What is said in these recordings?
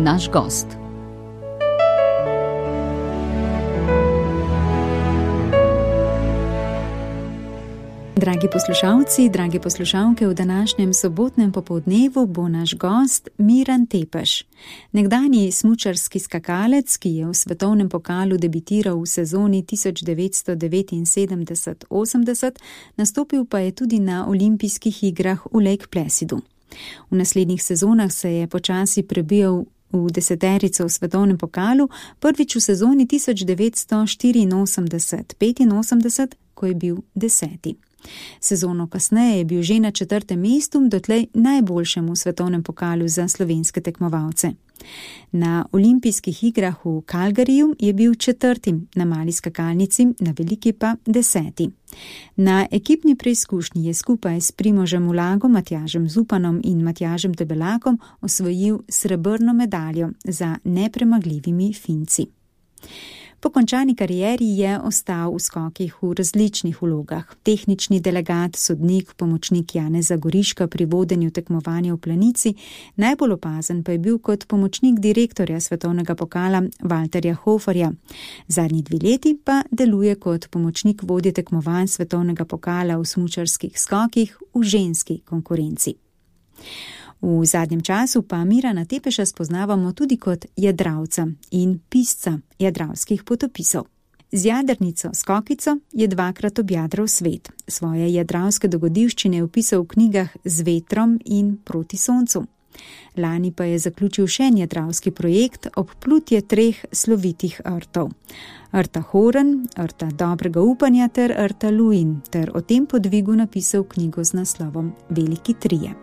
naš gost. Dragi poslušalci, dragi poslušalke, v današnjem sobotnem popoldnevu bo naš gost Miran Tepeš. Nekdanji smučarski skakalec, ki je v svetovnem pokalu debitiral v sezoni 1979-80, nastopil pa je tudi na olimpijskih igrah v Lake Placidu. V naslednjih sezonah se je počasi prebijal v deseterico v svetovnem pokalu, prvič v sezoni 1984-85, ko je bil 10. Sezono kasneje je bil že na 4. mestu, dotlej najboljšemu svetovnem pokalu za slovenske tekmovalce. Na olimpijskih igrah v Calgaryju je bil 4. na mali skakalnici, na veliki pa 10. Na ekipni preizkušnji je skupaj s Primožem Ulagom, Matjažem Zupanom in Matjažem Debelakom osvojil srebrno medaljo za nepremagljivimi Finci. Po končani karieri je ostal v skokih v različnih vlogah. Tehnični delegat, sodnik, pomočnik Janeza Goriška pri vodenju tekmovanja v Planici, najbolj opazen pa je bil kot pomočnik direktorja svetovnega pokala Walterja Hoferja. Zadnji 2 leti pa deluje kot pomočnik vodje tekmovanj svetovnega pokala v smučarskih skokih v ženski konkurenci. V zadnjem času pa Mirana Tepeša spoznavamo tudi kot jadralca in pisca jadralskih potopisov. Z jadrnico Skokico je 2-krat objadral svet. Svoje jadralske dogodivščine je opisal v knjigah Z vetrom in Proti soncu. Lani pa je zaključil še en jadralski projekt, obplutje 3 slovitih rtov. Rta Horen, Rta dobrega upanja ter Rta Luin, ter o tem podvigu napisal knjigo z naslovom Veliki trije.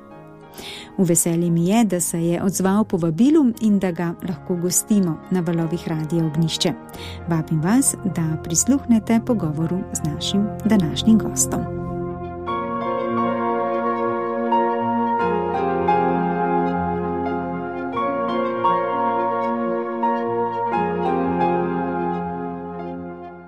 V veselje mi je, da se je odzval povabilu in da ga lahko gostimo na valovih Radia Ognjišče. Vabim vas, da prisluhnete pogovoru z našim današnjim gostom.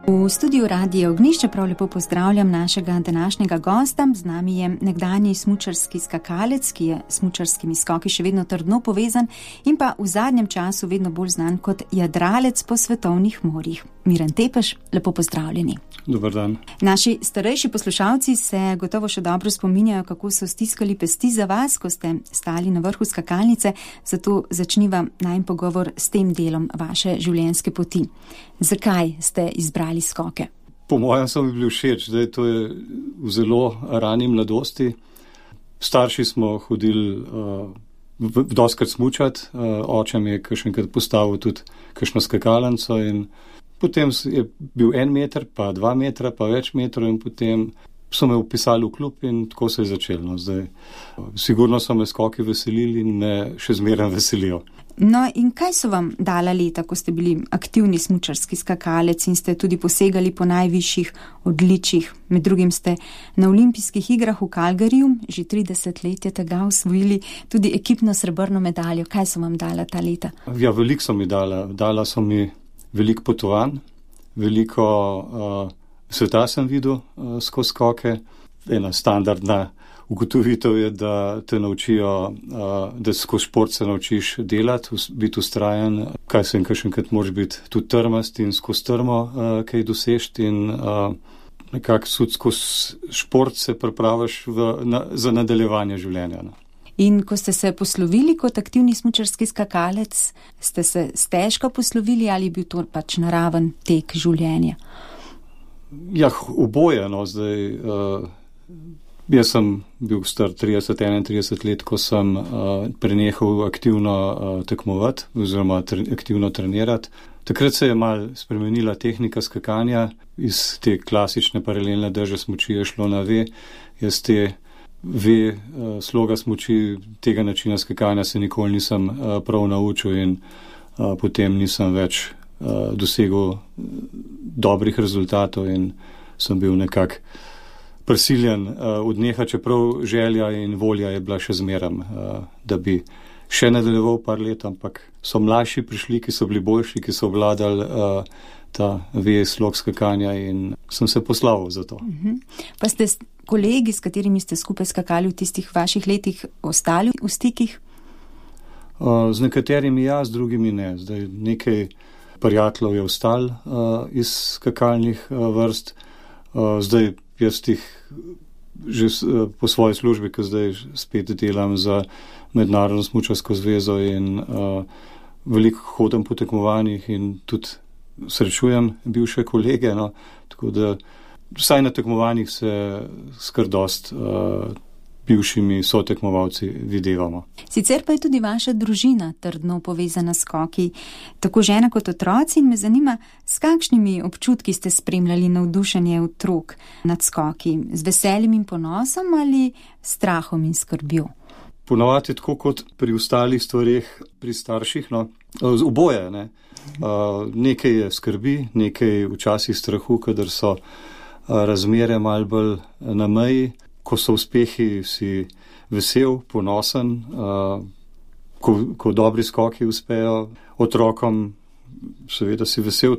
V studiu Radia Ognjišče prav lepo pozdravljam našega današnjega gosta. Z nami je nekdanji smučarski skakalec, ki je s smučarskimi skoki še vedno trdno povezan in pa v zadnjem času vedno bolj znan kot jadralec po svetovnih morjih. Miran Tepeš, lepo pozdravljeni. Dobar dan. Naši starejši poslušalci se gotovo še dobro spominjajo, kako so stiskali pesti za vas, ko ste stali na vrhu skakalnice, zato začniva najin pogovor s tem delom vaše življenjske poti. Zakaj ste izbrali skoke? Po mojem so mi bili všeč, da to je v zelo rani mladosti. Starši smo hodili doskrat smučat, oče mi je kakšenkrat postavil tudi kakšno skakalnico in potem je bil 1 meter, pa 2 metra, pa več metrov in potem so me upisali v klub in tako se je začelo. Zdaj, sigurno so me skoki veselili in me še zmeraj veselijo. No in kaj so vam dala leta, ko ste bili aktivni smučarski skakalec in ste tudi posegali po najvišjih odličjih? Med drugim ste na olimpijskih igrah v Calgaryju že 30 let je tega osvojili tudi ekipno srebrno medaljo. Kaj so vam dala ta leta? Ja, veliko so mi dala. Dala so mi veliko potovanj, veliko sveta sem videl skozi skoke. Ena standardna ugotovitev je, da te naučijo, da skozi šport se naučiš delati, biti ustrajen, kakšenkrat moraš biti tudi trmast in skozi trmo kaj dosežti in nekako skozi šport se pripraviš za nadaljevanje življenja. In ko ste se poslovili kot aktivni smučarski skakalec, ste se stežka poslovili ali je bil to pač naraven tek življenja? Ja, oboje, no, zdaj, jaz sem bil star 30-31 let, ko sem prenehal aktivno tekmovati oziroma aktivno trenirati. Takrat se je malo spremenila tehnika skakanja, iz te klasične paralelne drže smuči je šlo na V, jaz te V sloga smuči tega načina skakanja se nikoli nisem prav naučil in potem nisem več dosegel dobrih rezultatov in sem bil nekako prisiljen odnehati, čeprav želja in volja je bila še zmeraj, da bi še nadaljeval par let, ampak so mlajši prišli, ki so bili boljši, ki so obvladali ta slog skakanja in sem se poslavil za to. Pa ste kolegi, s katerimi ste skupaj skakali v tistih vaših letih, ostali v stikih? Z nekaterimi ja, z drugimi ne. Zdaj nekaj prijateljev je ostal iz skakalnih vrst. Zdaj jaz tih že po svoji službi, ki zdaj spet delam za Mednarodno smučarsko zvezo in veliko hodim po tekmovanjih in tudi srečujem bivše kolege, no, tako da vsaj na tekmovanjih se skar dost bivšimi sotekmovalci videvamo. Sicer pa je tudi vaša družina trdno povezana s skoki, tako žena kot otroci, in me zanima, s kakšnimi občutki ste spremljali navdušenje otrok nad skoki, z veseljem in ponosom ali strahom in skrbjo? Ponavadi tako kot pri ostalih stvareh pri starših, no, oboje, ne. Nekaj je skrbi, nekaj včasih strahu, kadar so razmere malo bolj na meji. Ko so uspehi, si vesel, ponosen, ko dobri skoki uspejo otrokom, seveda si vesel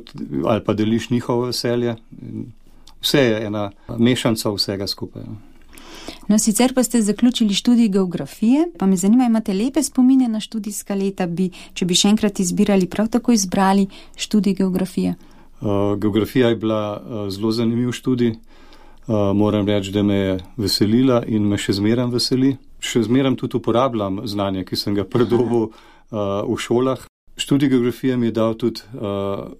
ali pa deliš njihovo veselje. Vse je ena mešanca vsega skupaj. No, sicer pa ste zaključili študij geografije, pa me zanima, imate lepe spomine na študijska leta, če bi še enkrat izbirali, prav tako izbrali študij geografije? Geografija je bila zelo zanimiv študij. Moram reči, da me je veselila in me še zmeram veseli. Še zmeram tudi uporabljam znanje, ki sem ga pridobil v šolah. Študij geografije mi je dal tudi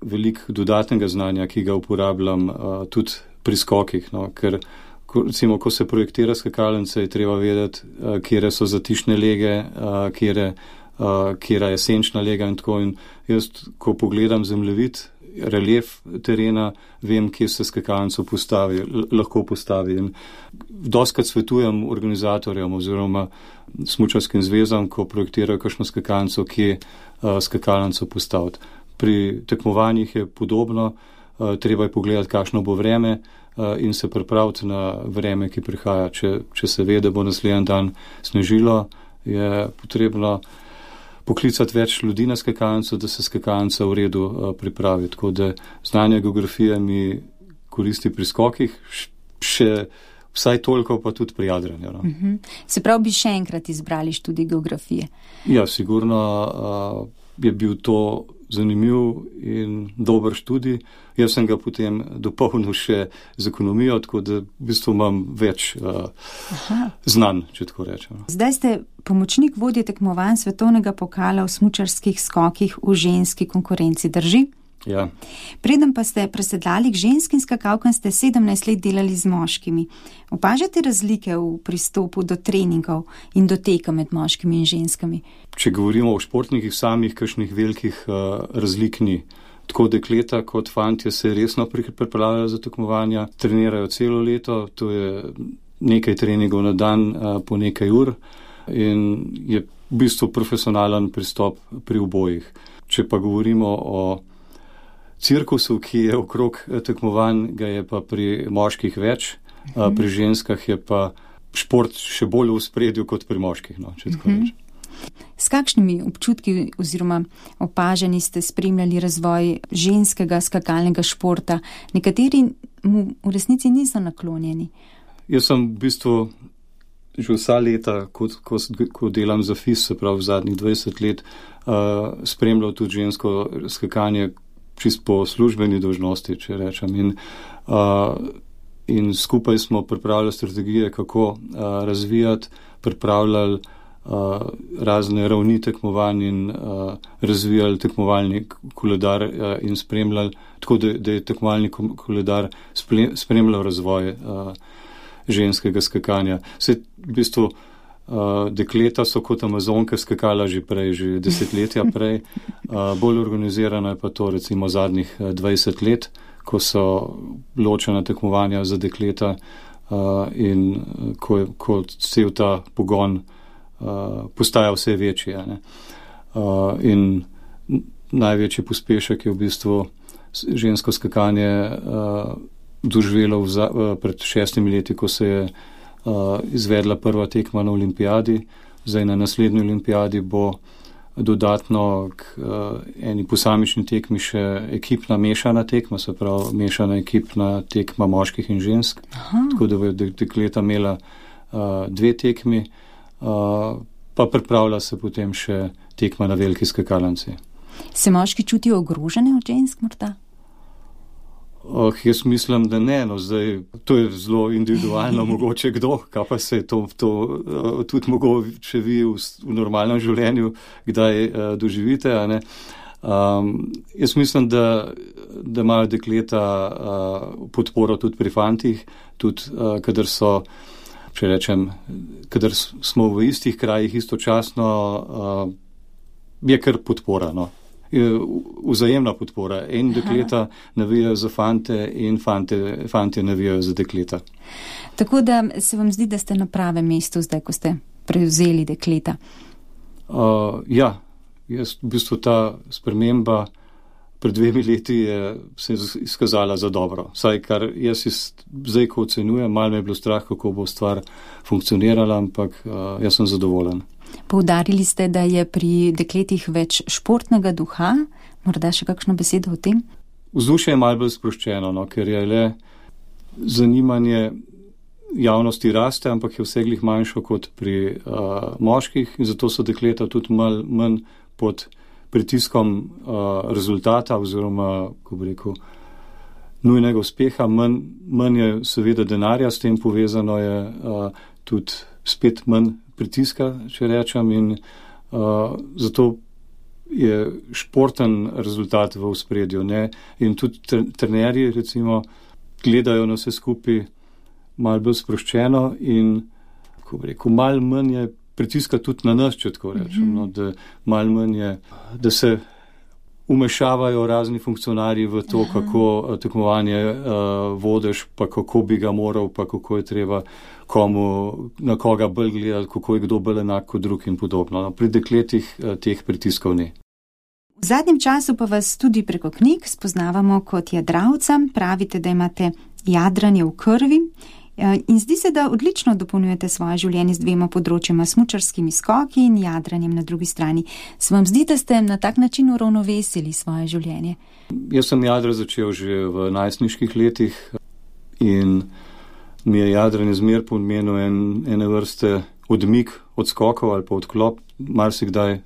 veliko dodatnega znanja, ki ga uporabljam tudi pri skokih, no, ker recimo, ko se projektira skakalnice, je treba vedeti, kjere so zatišne lege, kjera je senčna lega in tako. In jaz, ko pogledam zemljevid, relief terena, vem, kje se skakalnico lahko postavi. In dostikrat svetujem organizatorjem oziroma smučarskim zvezam, ko projektirajo kakšno skakalnico, kje skakalnico postaviti. Pri tekmovanjih je podobno, treba je pogledati, kakšno bo vreme in se pripraviti na vreme, ki prihaja. Če se ve, da bo naslednji dan snežilo, je potrebno poklicati več ljudi na skakalnico, da se skakalnica v redu pripravi. Tako da znanje geografije mi koristi pri skokih, še vsaj toliko pa tudi pri jadranju. No. Se pravi, bi še enkrat izbrali študij geografije? Ja, sigurno je bil to zanimiv in dober študij. Jaz sem ga potem dopolnil še z ekonomijo, tako da v bistvu imam več znanj, če tako rečem. Zdaj ste pomočnik vodje tekmovanj svetovnega pokala v smučarskih skokih v ženski konkurenci, drži? Ja. Preden pa ste presedlali k ženskim skakalkam, ste 17 let delali z moškimi. Opažate razlike v pristopu do treningov in do teka med moškimi in ženskami? Če govorimo o športnikih samih, kakšnih velikih razlik ni. Tako dekleta kot fantje se resno pripravljajo za tekmovanja, trenirajo celo leto, to je nekaj treningov na dan po nekaj ur in je v bistvu profesionalen pristop pri obojih. Če pa govorimo o cirkusu, ki je okrog tekmovanj, ga je pa pri moških več, pri ženskah je pa šport še bolj v spredju kot pri moških, no, če tako rečem. S kakšnimi občutki oziroma opažanji ste spremljali razvoj ženskega skakalnega športa? Nekateri mu v resnici niso naklonjeni. Jaz sem v bistvu že vsa leta, ko delam za FIS, se pravi v zadnjih 20 let, spremljal tudi žensko skakanje čisto po službeni dolžnosti, če rečem. In skupaj smo pripravljali strategije, kako razvijati, pripravljali razne ravni tekmovanj in razvijali tekmovalni koledar in spremljali, tako da je tekmovalni koledar spremljal razvoj ženskega skakanja. Vse v bistvu dekleta so kot amazonke skakala že prej, že desetletja prej. Bolj organizirano je pa to recimo zadnjih 20 let, ko so ločena tekmovanja za dekleta in ko cel ta pogon postaja vse večji. In največji pospešek je v bistvu žensko skakanje doživelo pred 6 leti, ko se je izvedla prva tekma na olimpijadi. Zdaj na naslednji olimpijadi bo dodatno k eni posamični tekmi še ekipna mešana tekma, se pravi mešana ekipna tekma moških in žensk. Aha. Tako da bo dekleta imela 2 tekmi, pa pripravlja se potem še tekma na veliki skakalnici. Se moški čutijo ogrožene od žensk morda? Jaz mislim, da ne, no, zdaj, to je zelo individualno, mogoče kdo, kaj pa se to tudi mogoče vi v normalnem življenju kdaj doživite, a ne. Jaz mislim, da imajo dekleta podporo tudi pri fantih, tudi kadar so, če rečem, kadar smo v istih krajih istočasno, je kar podpora, no. Vzajemna podpora. In dekleta navijajo za fante in fantje navijajo za dekleta. Tako da se vam zdi, da ste na pravem mestu zdaj, ko ste prevzeli dekleta? Ja, v bistvu ta sprememba pred 2 leti se je izkazala za dobro. Saj, kar jaz zdaj, ko ocenjujem, malo me je bilo strah, kako bo stvar funkcionirala, ampak jaz sem zadovoljen. Poudarili ste, da je pri dekletih več športnega duha. Morda še kakšno besedo o tem? Vzdušje je malo bolj sproščeno, no, ker je le zanimanje javnosti raste, ampak je vse glih manjšo kot pri moških in zato so dekleta tudi malo manj pod pritiskom rezultata oziroma, ko bi rekel, nujnega uspeha. Manj je seveda denarja, s tem povezano je tudi spet manj pritiska, če rečem, in zato je športen rezultat v ospredju, ne? In tudi trenerji, recimo, gledajo na vse skupaj malo bolj sproščeno in, ko bi rekel, malo manj je pritiska tudi na nas, če tako rečem, no? Da malo manj je, da se umešavajo razni funkcionarji v to, kako tekmovanje vodiš, pa kako bi ga moral, pa kako je treba komu, na koga bolj gledati, kako je kdo bolj enak kot drug in podobno. No, pri dekletih teh pritiskov ni. V zadnjem času pa vas tudi preko knjig spoznavamo kot jadralca. Pravite, da imate jadranje v krvi in zdi se, da odlično dopolnjujete svoje življenje z 2 področjema, smučarskimi skoki in jadranjem na drugi strani. Se vam zdi, da ste na tak način uravnovesili svoje življenje? Jaz sem jadra začel že v najstniških letih in mi je jadranje zmer pomenilo ene vrste odmik od skokov ali pa odklop. Marsikdaj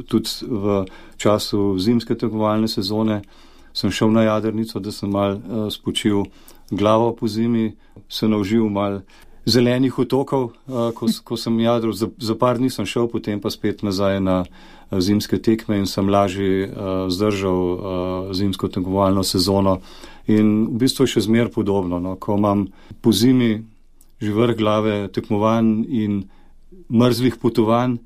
tudi v času zimske tekmovalne sezone sem šel na jadrnico, da sem malo spočil glavo po zimi, se naužil malo zelenih otokov, ko sem jadral. Za par dni sem šel, potem pa spet nazaj na zimske tekme in sem lažje zdržal zimsko tekmovalno sezono. In v bistvu je še zmer podobno, no, ko imam po zimi že vrh glave tekmovanj in mrzlih potovanj,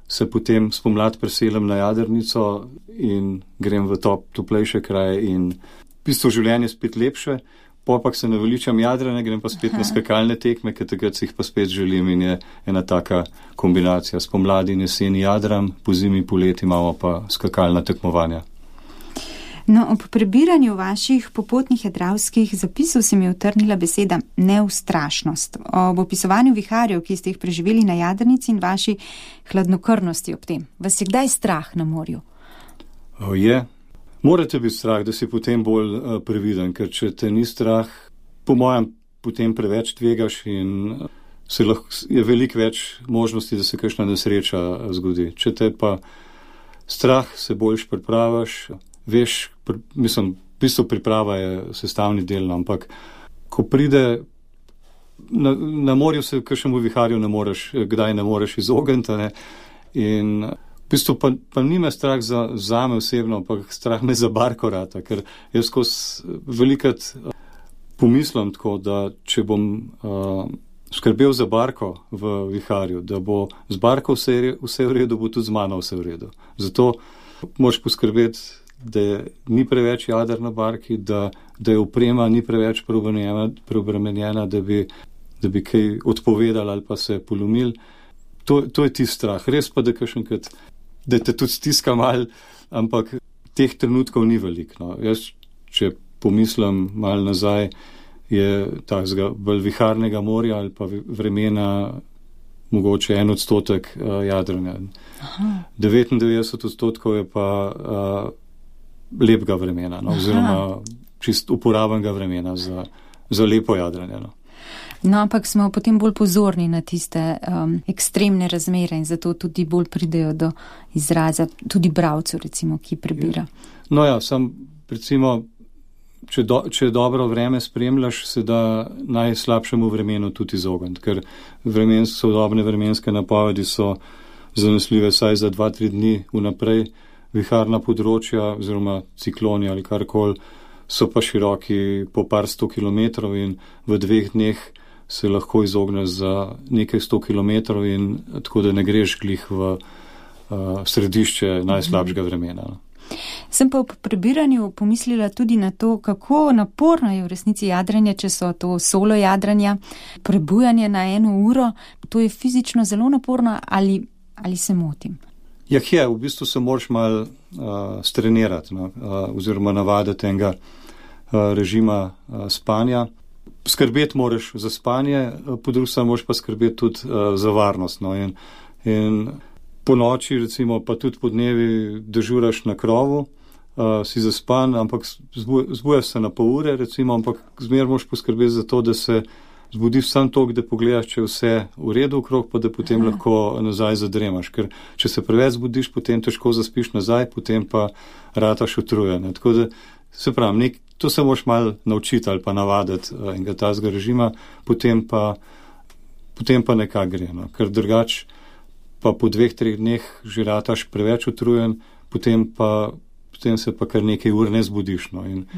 se potem spomladi preselem na jadrnico in grem v toplejše kraje in v bistvu življenje spet lepše. Popak se naveličam jadranja, grem pa spet na skakalne tekme, ker takrat si jih pa spet želim in je ena taka kombinacija. Spomladi in jeseni jadram, po zimi, poleti imamo pa skakalna tekmovanja. No, ob prebiranju vaših popotnih jadralskih zapisov se mi je utrnila beseda neustrašnost. Ob opisovanju viharjev, ki ste jih preživeli na jadrnici in vaši hladnokrvnosti ob tem. Vas je kdaj strah na morju? Je. Morate biti strah, da si potem bolj previden, ker če te ni strah, po mojem, potem preveč tvegaš in je veliko več možnosti, da se kakšna nesreča zgodi. Če te pa strah, se boljš pripravaš, veš, mislim, v bistvu priprava je sestavni del, ampak ko pride na morju se kakšnemu viharju kdaj ne moreš izogniti, ne? In v bistvu pa nime strah zame osebno, ampak strah me za barko rata, ker jaz skozi velikrat pomislim tako, da če bom skrbel za barko v viharju, da bo z barko vse v redu, bo tudi z mano vse v redu. Zato moraš poskrbeti, da ni preveč jader na barki, da je oprema ni preveč preobremenjena, da bi kaj odpovedali ali pa se polomil. To je ti strah. Res pa, da te tudi stiska mal, ampak teh trenutkov ni veliko. No. Jaz, če pomislim mal nazaj, je takega bolj viharnega morja ali pa vremena mogoče 1% jadranja. 99% je pa lepega vremena, no, oziroma čist uporabnega vremena za lepo jadranje. No. No, ampak smo potem bolj pozorni na tiste ekstremne razmere in zato tudi bolj pridejo do izraza, tudi bralcev, recimo, ki prebira. No ja, recimo, če dobro vreme spremljaš, se da najslabšemu vremenu tudi izogniti, ker sodobne vremenske napovedi so zanesljive vsaj za 2-3 dni vnaprej, viharna področja oziroma cikloni ali karkoli so pa široki po par 100 kilometrov in v 2 dneh se lahko izogneš za nekaj 100 kilometrov in tako da ne greš glih v središče najslabšega vremena. Sem pa v prebiranju pomislila tudi na to, kako naporno je v resnici jadranje, če so to solo jadranja, prebujanje na 1 uro, to je fizično zelo naporno ali se motim? Je, v bistvu se moraš malo strenirati, oziroma navaditi enega režima spanja. Skrbeti moraš za spanje, po drugi strani moraš pa skrbeti tudi za varnost. No, in po noči, recimo, pa tudi po dnevi dežuraš na krovu, si zaspan, ampak zbujaš se na pol ure, recimo, ampak zmeraj moraš poskrbeti za to, da se zbudiš sam toliko, da pogledaš, če je vse v redu okrog, pa da potem lahko nazaj zadremaš. Ker če se preveč zbudiš, potem težko zaspiš nazaj, potem pa rataš utrujen. Tako da, se pravi, to se moraš malo naučiti ali pa navaditi enega tazga režima, potem pa nekako gre. No. Ker drugače pa po 2-3 dneh že rataš preveč utrujen, potem se pa kar nekaj ur ne zbudiš. No. In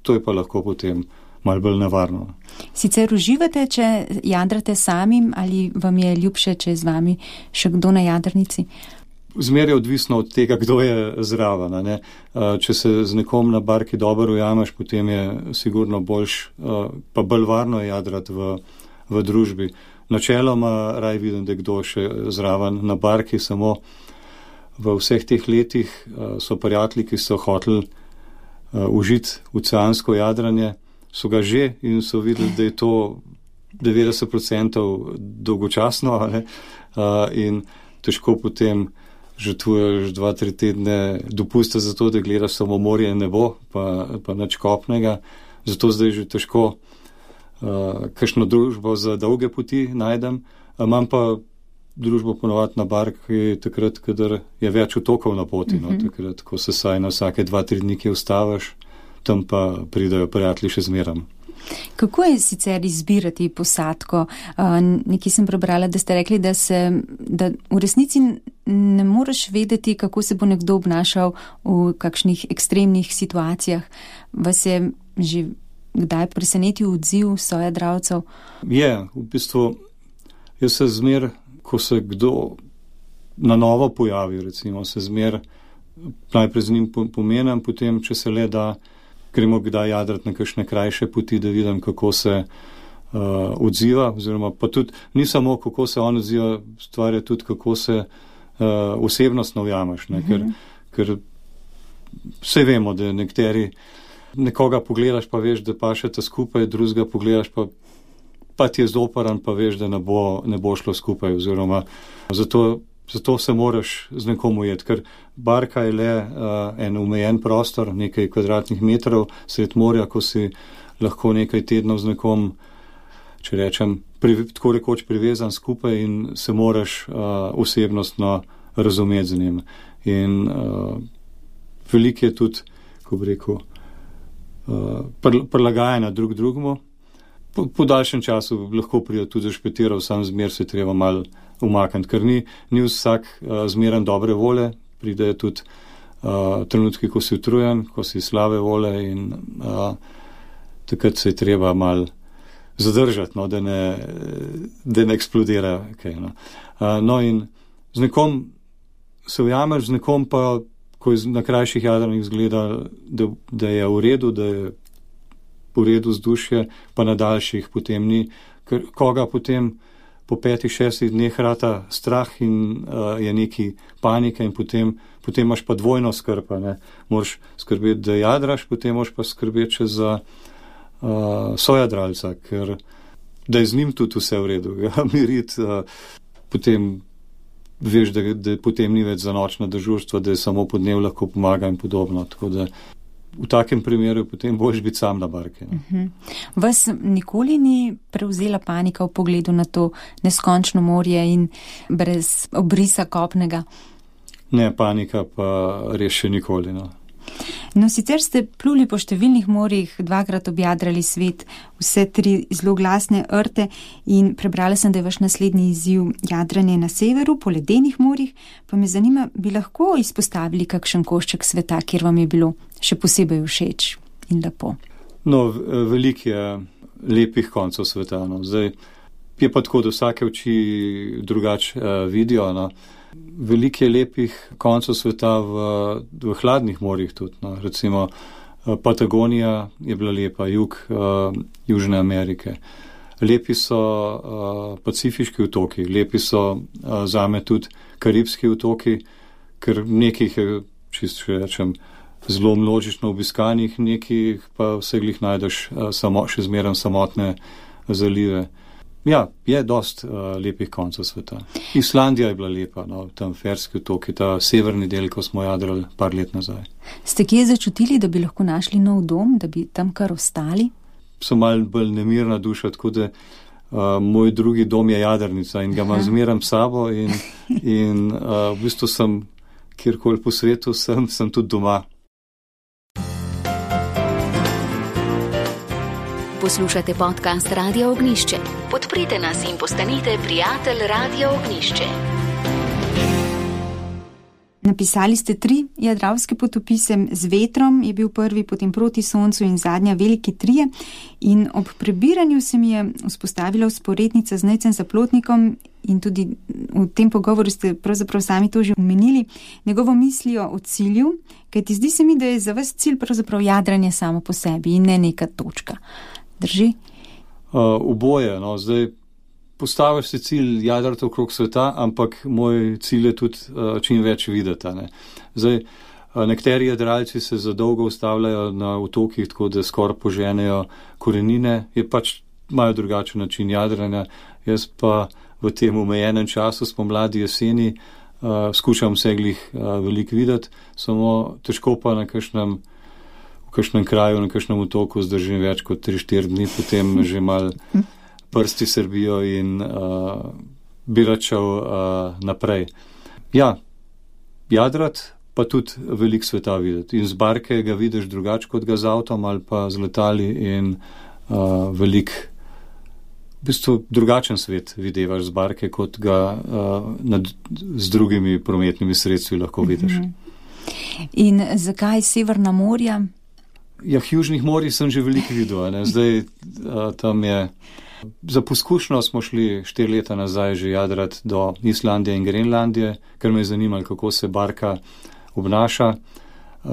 to je pa lahko potem malo bolj nevarno. Sicer uživate, če jadrate samim, ali vam je ljubše, če je z vami še kdo na jadrnici? Zmeraj je odvisno od tega, kdo je zraven. Ne? Če se z nekom na barki dobro ujameš, potem je sigurno boljš, pa bolj varno je jadrati v družbi. Načeloma raj vidim, da je kdo še zraven na barki, samo v vseh teh letih so prijatelji, ki so hoteli užiti oceansko jadranje, so ga že in so videli, da je to 90% dolgočasno, in težko potem žrtvuješ 2-3 tedne dopusta za to, da gledaš samo morje in nebo, pa nič kopnega. Zato zdaj že težko kakšno družbo za dolge poti najdem. Imam pa družbo ponovati na barki takrat, kadar je več otokov na poti, takrat, ko se saj na vsake 2-3 dni kje ustaviš, tam pa pridajo prijatelji še zmeram. Kako je sicer izbirati posadko? Nekaj sem prebrala, da ste rekli, da v resnici ne moreš vedeti, kako se bo nekdo obnašal v kakšnih ekstremnih situacijah. Vas je že kdaj presenetil odziv sojadralcev? Je, v bistvu, jaz se zmer, ko se kdo na novo pojavi, recimo, se zmer najprej z njim pomenem, potem, če se le da, gremo kdaj jadrati na kakšne krajše poti, da vidim, kako se odziva, oziroma pa tudi ni samo, kako se on odziva, stvar je tudi, kako se osebnostno ujameš, ker vse vemo, da nekoga pogledaš, pa veš, da pašete skupaj, drugega pogledaš, pa ti je zoparan, pa veš, da ne bo šlo skupaj, oziroma zato se moraš z nekom ujeti, ker barka je le en omejen prostor, nekaj kvadratnih metrov sred morja, ko si lahko nekaj tednov z nekom, če rečem, tako rekoč privezan skupaj in se moraš osebnostno razumeti z njim. In veliko je tudi, ko bi rekel, prilagajanja drugemu. Po daljšem času lahko pride tudi zašpetiral, sam zmer se treba malo umakniti, ker ni vsak zmeren dobre vole, pride tudi trenutki, ko si utrujen, ko si slabe vole in takrat se je treba malo zadržati, no, da ne eksplodira. Okay, no. No in z nekom se ujameš, z nekom pa, ko je na krajših jadranjih zgleda, da je v redu, da je v redu vzdušje, pa na daljših potem ni, ker koga potem po 5-6 dneh rata strah in je neki panika in potem imaš pa dvojno skrb, ne. Moraš skrbeti, da jadraš, potem moraš pa skrbeti še za sojadralca, ker da je z njim tudi vse v redu, ga miriti, potem veš, da potem ni več za nočna dežurstva, da je samo po dnevu lahko pomaga in podobno, tako da v takem primeru potem boljš biti sam na barki. Vas nikoli ni prevzela panika v pogledu na to neskončno morje in brez obrisa kopnega? Ne, panika pa res še nikoli. No, sicer ste pluli po številnih morjih, 2-krat objadrali svet, vse 3 zelo glasne rte in prebrala sem, da je vaš naslednji izziv jadranje na severu po ledenih morjih, pa me zanima, bi lahko izpostavili kakšen košček sveta, kjer vam je bilo še posebej všeč in lepo? No, veliko je lepih koncev sveta. Zdaj je pa tako, da vsake oči drugače vidijo. Veliko je lepih koncev sveta v hladnih morjih tudi. Recimo Patagonija je bila lepa, jug Južne Amerike. Lepi so Pacifiški otoki, lepi so zame tudi Karibski otoki, ker nekih je, čisto rečem, zelo množično obiskanih, nekih pa vse glih najdeš še zmeraj samotne zalive. Ja, je dost lepih koncev sveta. Islandija je bila lepa, tam Ferski otoki, ta severni del, ko smo jadrali par let nazaj. Ste kje začutili, da bi lahko našli nov dom, da bi tam kar ostali? Sem malo bolj nemirna duša, tako da moj drugi dom je jadrnica in ga imam zmeraj s sabo in v bistvu sem, kjerkoli po svetu sem tudi doma. Poslušate podcast Radio Ognjišče. Podprite nas in postanite prijatelj Radio Ognjišče. Napisali ste 3 jadralske potopise, Z vetrom je bil prvi, potem Proti soncu in zadnja Veliki trije. In ob prebiranju se mi je vzpostavila vzporednica z Nejcem Zaplotnikom in tudi v tem pogovoru ste pravzaprav sami to že omenili, njegovo mislijo o cilju, kajti zdi se mi, da je za vas cilj pravzaprav jadranje samo po sebi in ne neka točka. Drži? Oboje. Zdaj postaviš si cilj jadrati okrog sveta, ampak moj cilj je tudi čim več videti. Zdaj, nekateri jadralci se za dolgo ustavljajo na otokih, tako da skoraj poženejo korenine, imajo drugačen način jadranja. Jaz pa v tem omejenem času, spomladi, jeseni, skušam vseglih veliko videti, samo težko pa v kakšnem kraju, na kakšnem otoku zdržim več kot 3-4 dni, potem že mal prsti srbijo in bi račal naprej. Ja, jadrat, pa tudi veliko sveta videti. In z barke ga vidiš drugače kot ga z avtom ali pa z letali in veliko, v bistvu drugačen svet videvaš z barke, kot ga z drugimi prometnimi sredstvi lahko vidiš. In zakaj Severna morja? Ja, južnih morij sem že veliko videl. Zdaj tam je, za poskušnjo smo šli 4 leta nazaj že jadrati do Islandije in Grenlandije, ker me je zanimalo, kako se barka obnaša.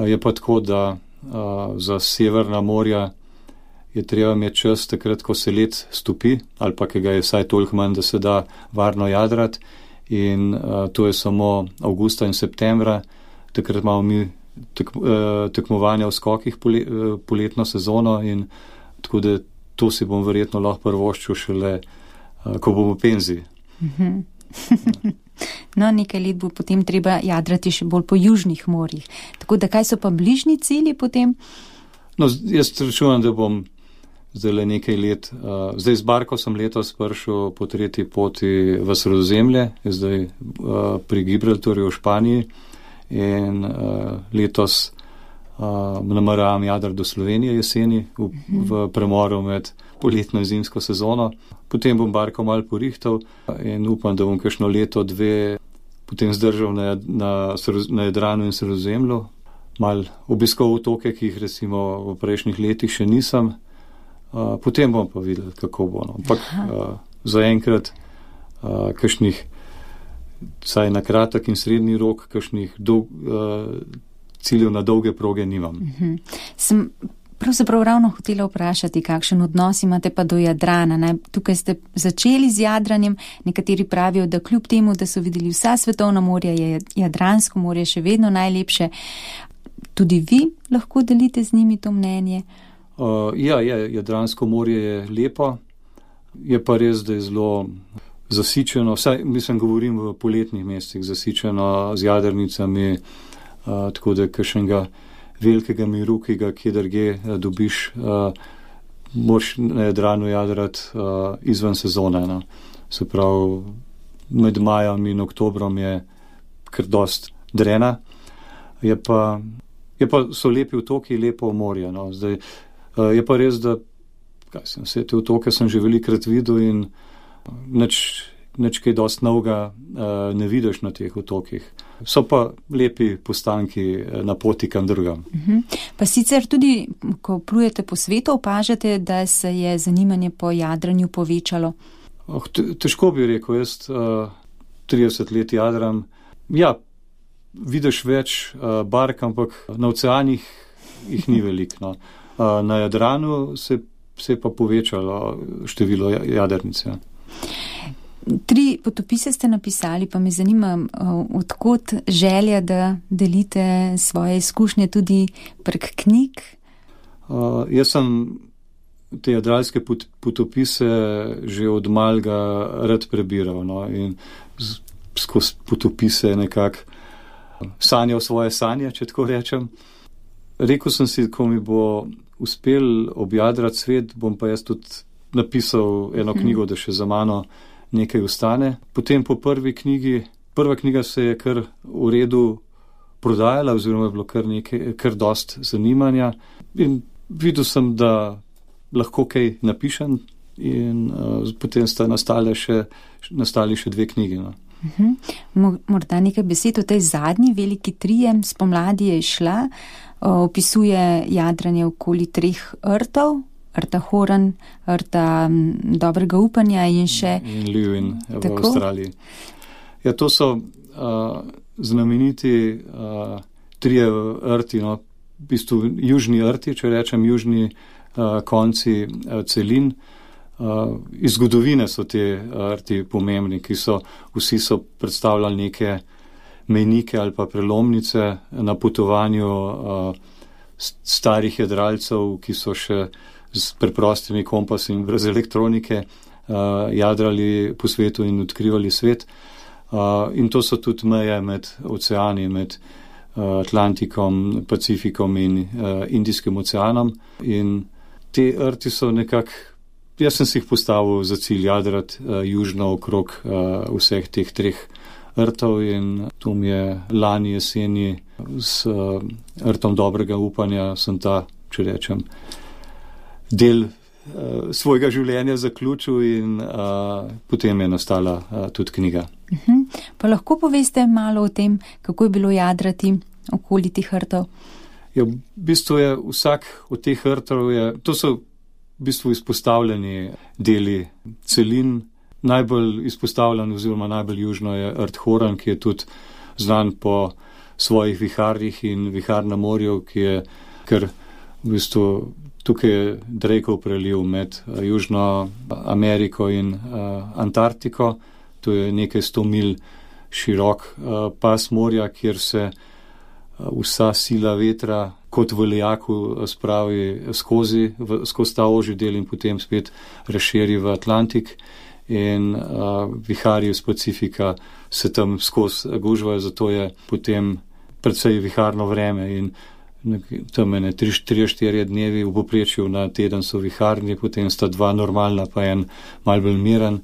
Je pa tako, da za Severna morja je treba imeti čas takrat, ko se led stopi, ali pa ki ga je vsaj toliko manj, da se da varno jadrati. In to je samo avgusta in septembra, takrat imamo mi tekmovanja v skokih poletno sezono in tako da to si bom verjetno lahko prvoščil šele, ko bom v penziji. No, nekaj let bo potem treba jadrati še bolj po južnih morjih. Tako da kaj so pa bližnji cilji potem? No, jaz računam, da bom zdaj le nekaj let, zdaj z barko sem letos prišel po 3. poti v Sredozemlje, zdaj pri Gibraltarju v Španiji. In letos nameravam jadrati do Slovenije jeseni v premoru med poletno in zimsko sezono. Potem bom barko malo porihtal in upam, da bom kakšno leto, 2 potem zdržal na Jadranu in Sredozemlju. Mal obiskal otoke, ki jih recimo v prejšnjih letih še nisem. Potem bom pa videl, kako bo. Ampak zaenkrat kakšnih saj na kratek in srednji rok, kakšnih ciljev na dolge proge nimam. Sem pravzaprav ravno hotela vprašati, kakšen odnos imate pa do Jadrana. Tukaj ste začeli z jadranjem, nekateri pravijo, da kljub temu, da so videli vsa svetovna morja, je Jadransko morje še vedno najlepše. Tudi vi lahko delite z njimi to mnenje? Ja, Jadransko morje je lepo, je pa res, da je zelo zasičeno, vsaj mislim govorim v poletnih mesecih, zasičeno z jadrnicami, tako da kakšnega velikega miru, ki ga kje drugje dobiš, moraš na Jadranu jadrati izven sezone. No. Se pravi, med majem in oktobrom je kar dost drena. So lepi otoki, lepo morje. No. Zdaj, je pa res, da vse te otoke sem že velikrat videl in nič kaj dost novega ne vidiš na teh otokih. So pa lepi postanki na poti kam drugam. Pa sicer tudi, ko plujete po svetu, opažate, da se je zanimanje po jadranju povečalo? Težko bi rekel, jaz 30 let jadram. Ja, vidiš več bark, ampak na oceanih jih ni veliko. No. Na Jadranu se je pa povečalo število jadrnic. Ja. 3 potopise ste napisali, pa me zanima, odkot želja, da delite svoje izkušnje tudi prek knjig? Jaz sem te jadralske potopise že od malega rad prebiral, no, in skozi potopise nekako sanjal svoje sanje, če tako rečem. Rekel sem si, ko mi bo uspel objadrati svet, bom pa jaz tudi napisal eno knjigo, da še za mano nekaj ostane. Potem po prva knjiga se je kar v redu prodajala, oziroma je bilo kar dost zanimanja. In videl sem, da lahko kaj napišem in potem sta nastali še 2 knjigi. No. Morda nekaj besed o tej zadnji veliki trije. Spomladi je izšla, opisuje jadranje okoli 3 rtov. Rta Horan, Rta Dobrega upanja in še... In Ljuin v Avstraliji. Ja, to so znameniti 3 rti, no, v bistvu južni rti, če rečem južni konci celin. Iz zgodovine so te rti pomembni, vsi so predstavljali neke mejnike ali pa prelomnice na potovanju starih jadralcev, ki so še s preprostimi kompasi in brez elektronike jadrali po svetu in odkrivali svet. In to so tudi meje med oceani, med Atlantikom, Pacifikom in Indijskim oceanom. In te rti so nekako, jaz sem si jih postavil za cilj jadrati južno okrog vseh teh 3 rtov in to mi je lani jeseni s Rtom Dobrega upanja sem ta, če rečem, del svojega življenja zaključil in potem je nastala tudi knjiga. Pa lahko poveste malo o tem, kako je bilo jadrati okoli teh rtov? Ja, v bistvu je vsak od teh rtov, to so v bistvu izpostavljeni deli celin. Najbolj izpostavljen oziroma najbolj južno je Rt Horan, ki je tudi znan po svojih viharjih in vihar na morju, ki je kar v bistvu tukaj je Drakeov preliv med Južno Ameriko in Antarktiko. To je nekaj 100 milj širok pas morja, kjer se vsa sila vetra kot v lejaku spravi skozi ta ožji del in potem spet razširi v Atlantik. In viharji iz Pacifika se tam skozi gužvajo, zato je potem precej viharno vreme in tam 3-4 dnevi v povprečju na teden so viharni, potem sta 2 normalna, pa en malo bolj miren.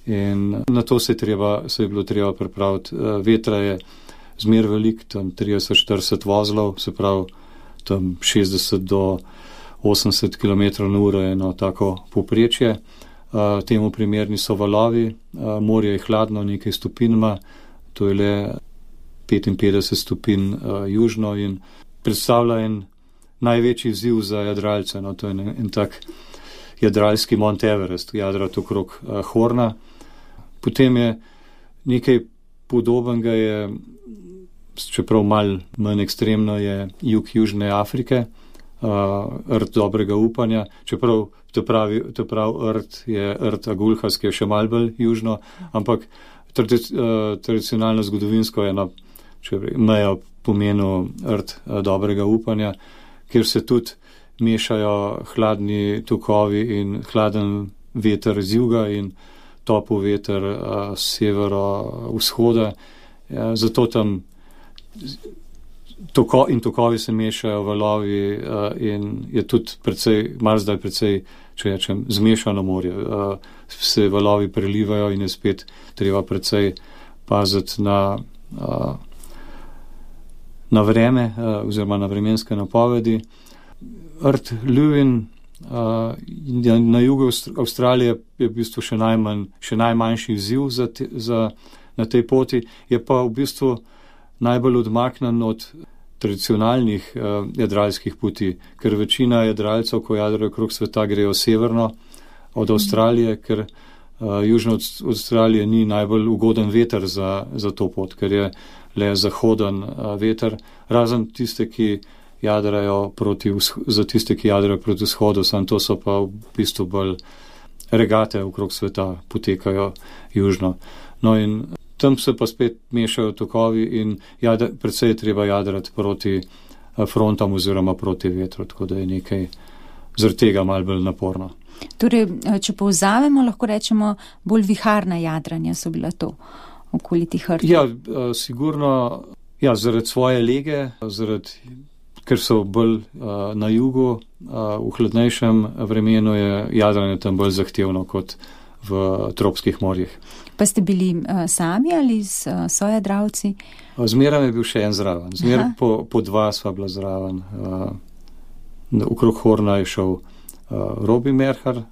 In na to se je bilo treba pripraviti. Vetra je zmer velik, tam 30-40 vozlov, se pravi tam 60 do 80 km/h je eno tako povprečje. Temu primerni so valovi, morje je hladno, nekaj stopinjma, to je le 55 stopinj južno in predstavlja en največji izziv za jadralce. No, to je en tak jadralski Mount Everest, jadrati okrog Horna. Potem je nekaj podobnega, čeprav malo manj ekstremno, je jug Južne Afrike, Rt Dobrega upanja, čeprav to pravi Rt je Rt Agulhas, ki je še malo bolj južno, ampak tradicionalno zgodovinsko je meja pomenu Rt Dobrega upanja, kjer se tudi mešajo hladni tokovi in hladen veter z juga in topel veter z severo-vzhoda. Zato tam tokovi se mešajo, valovi in je tudi marsikdaj precej, če rečem, zmešano morje. Se valovi prelivajo in je spet treba precej paziti na vreme oziroma na vremenske napovedi. Rt Ljuin na jugu Avstralije je v bistvu še najmanjši izziv na tej poti, je pa v bistvu najbolj odmaknen od tradicionalnih jadralskih poti, ker večina jadralcev, ko jadrajo okrog sveta, grejo severno od Avstralije, ker južno od Avstralije ni najbolj ugoden veter za to pot, ker je le zahoden veter, razen tiste, ki jadrajo proti vzhodu, samo to so pa v bistvu bolj regate okrog sveta, potekajo južno. No in tam se pa spet mešajo tokovi in predvsej treba jadrati proti frontom oziroma proti vetru, tako da je nekaj zaradi tega malo bolj naporno. Torej, če povzamemo, lahko rečemo, bolj viharna jadranja so bila to okoli tih hrtov. Ja, sigurno, zaradi svoje lege, ker so bolj na jugu, v hladnejšem vremenu je jadranje tam bolj zahtevno kot v tropskih morjih. Pa ste bili sami ali s sojadralci? Zmeraj je bil še en zraven. Zmeraj po dva sva bila zraven. Okrog Horna je šel Robi Merhar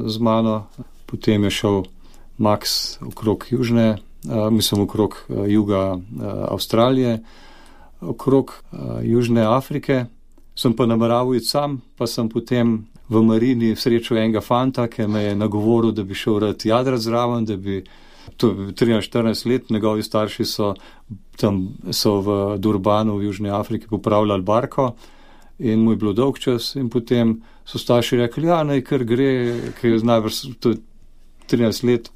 z mano, potem je šel Max okrog okrog juga Avstralije, okrog Južne Afrike. Sem pa nameraval iti sam, pa sem potem v marini srečal enega fanta, ki me je nagovoril, da bi šel rad jadrati zraven, da bi, to je 13-14 let, njegovi starši so v Durbanu v Južni Afriki popravljali barko in mu je bilo dolg čas in potem so starši rekli, naj kar gre, ker je najbrž 13 let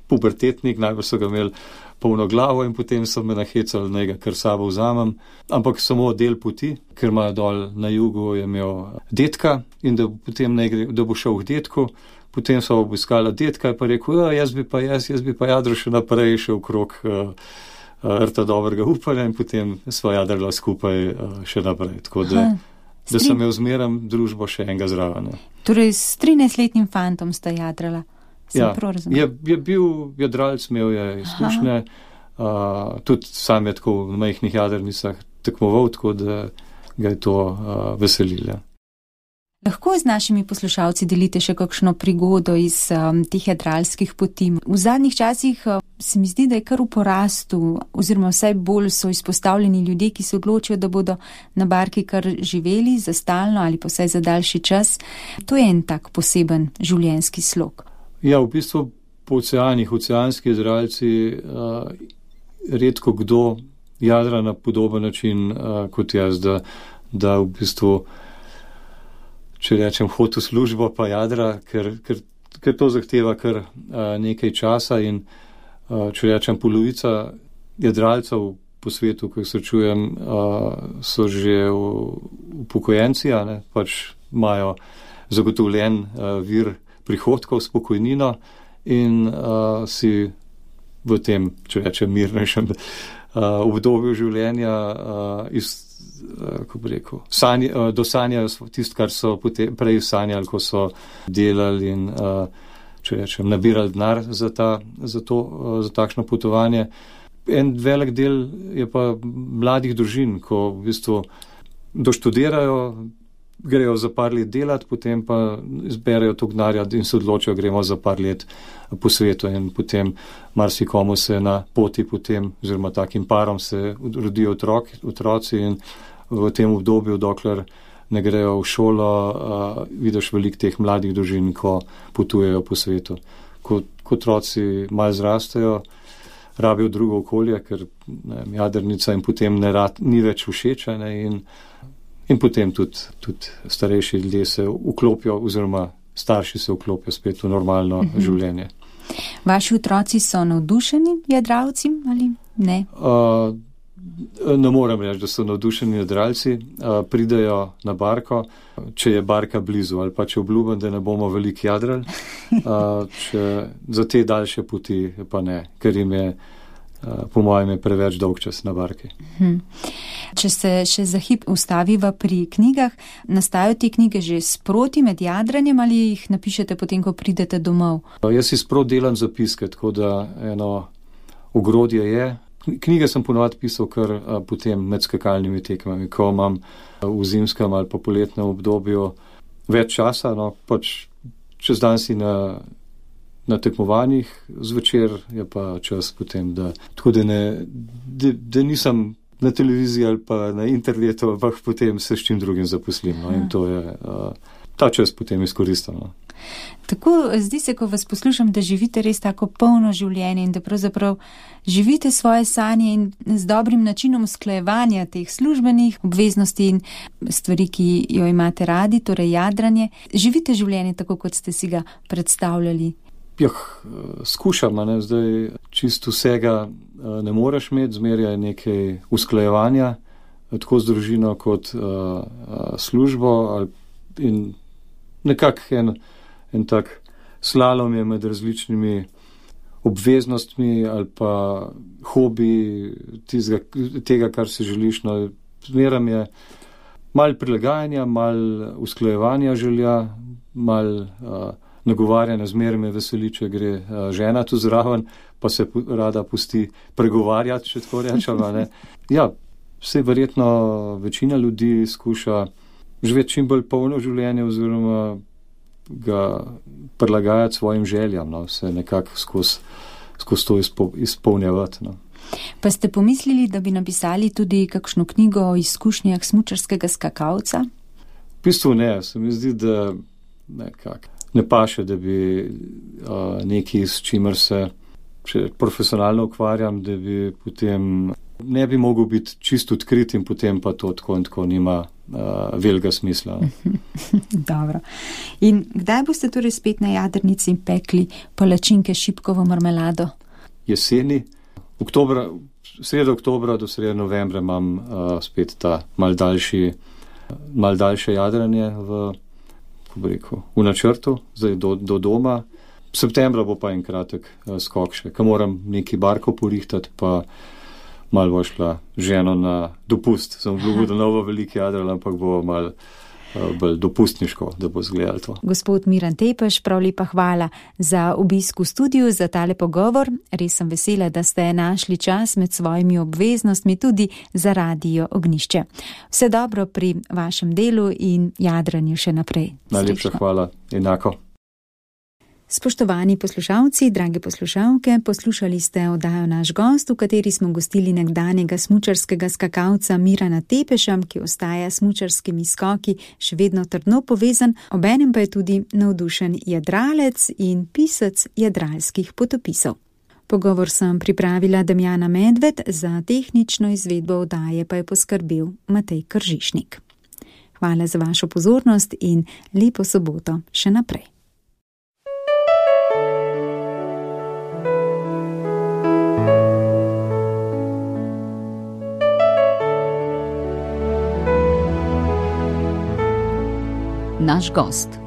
pubertetnik, najbrž so ga imeli polno glavo in potem so me nahecali, naj ga kar sabo vzamem, ampak samo del poti, ker ima dol na jugu je imel detka in da bo šel k detku, potem so obiskala detka in pa rekel, jaz bi pa jadral še naprej, še okrog rta dobrega upanja in potem sva jadrala skupaj še naprej, tako da sem imel zmeraj družbo še enega zraven. Torej s 13-letnim fantom sta jadrala. Ja, je bil jadralc, imel je izkušnje, tudi sam je tako v majhnih jadrnicah tekmoval, tako da ga je to veselilo. Lahko z našimi poslušalci delite še kakšno prigodo iz teh jadralskih poti. V zadnjih časih se mi zdi, da je kar v porastu, oziroma vsaj bolj so izpostavljeni ljudje, ki se odločijo, da bodo na barki kar živeli za stalno ali pa vsaj za daljši čas. To je en tak poseben življenjski slog. Ja, v bistvu po oceanski jadralci redko kdo jadra na podoben način kot jaz, da v bistvu, če rečem, hod v službo pa jadra, ker to zahteva kar nekaj časa in če rečem, polovica jadralcev po svetu, ko jih srečujem, so že upokojenci, pač imajo zagotovljen vir prihodkov s pokojnino in si v tem, če rečem, mirnejšem obdobju življenja kako bi rekel, dosanjajo tisto, kar so prej sanjali, ko so delali in, če rečem, nabirali denar za takšno potovanje. En velik del je pa mladih družin, ko v bistvu doštudirajo, grejo za par let delati, potem pa zberejo to denarja in se odločijo, gremo za par let po svetu in potem marsikomu se na poti potem, oziroma takim parom se rodijo otroci in v tem obdobju, dokler ne grejo v šolo, vidiš veliko teh mladih družin, ko potujejo po svetu. Ko otroci malo zrastejo, rabijo drugo okolje, ker jadrnica in potem ni več všeč in potem tudi starejši ljudje se vklopijo oziroma starši se vklopijo spet v normalno življenje. Vaši otroci so navdušeni jadralci ali ne? Ne morem reči, da so navdušeni jadralci. Pridejo na barko, če je barka blizu ali pa če obljubim, da ne bomo veliko jadrali. Za te daljše poti pa ne, ker po mojem je preveč dolg čas na barki. Če se še za hip ustaviva pri knjigah, nastajajo te knjige že sproti med jadranjem ali jih napišete potem, ko pridete domov? Jaz si sproti delam zapiske, tako da eno ogrodje je. Knjige sem ponovadi pisal kar potem med skakalnimi tekmami, ko imam v zimskem ali pa poletnem obdobju več časa, no, pač čez dan si na tekmovanjih, zvečer je pa čas potem, tako da nisem na televiziji ali pa na internetu, ampak potem se s čim drugim zaposlim, no, in to je ta čas potem izkoristim. No. Tako zdi se, ko vas poslušam, da živite res tako polno življenje in da pravzaprav živite svoje sanje in z dobrim načinom usklajevanja teh službenih obveznosti in stvari, ki jo imate radi, torej jadranje. Živite življenje tako, kot ste si ga predstavljali. Skušam, ne, zdaj čisto vsega ne moreš imeti, zmeraj je nekaj usklajevanja, tako z družino kot službo in nekako en tak slalom je med različnimi obveznostmi ali pa hobi tega, kar si želiš. No, zmeram je malo prilagajanja, malo usklajevanja želja, malo nagovarjanja, zmeraj me veseli, če gre žena tu zraven, pa se rada pusti pregovarjati, če tako rečem. Ja, vse verjetno večina ljudi skuša živeti čim bolj polno življenje oziroma ga prilagajati svojim željam, no, se nekako skozi to izpolnjevati. No. Pa ste pomislili, da bi napisali tudi kakšno knjigo o izkušnjah smučarskega skakalca? V bistvu ne, se mi zdi, da nekako ne paše, da bi nekaj, s čimer se profesionalno ukvarjam, da bi potem ne bi mogel biti čisto odkrit in potem pa to tako in tako nima velikega smisla. Dobro. In kdaj boste torej spet na jadrnici pekli palačinke s šipkovo marmelado? Jeseni. Sredo oktobra do srede novembra imam spet ta mal daljše jadranje v načrtu, zdaj do doma. Septembra bo pa en kratek skok še, ko moram neki barko porihtati, pa malo bo šla ženo na dopust. Sem obljubil, da ne bo veliki jadral, ampak bo malo bolj dopustniško, da bo izgledalo to. Gospod Miran Tepeš, prav lepa hvala za obisk v studiu, za tale pogovor. Res sem vesela, da ste našli čas med svojimi obveznostmi tudi za Radio Ognjišče. Vse dobro pri vašem delu in jadranju še naprej. Najlepša hvala, enako. Spoštovani poslušalci, drage poslušalke, poslušali ste oddajo Naš gost, v kateri smo gostili nekdanjega smučarskega skakalca Mirana Tepeša, ki ostaja s smučarskimi skoki še vedno trdno povezan, obenem pa je tudi navdušen jadralec in pisec jadralskih potopisov. Pogovor sem pripravila Damjana Medved, za tehnično izvedbo oddaje pa je poskrbel Matej Kržišnik. Hvala za vašo pozornost in lepo soboto še naprej. Naš gost.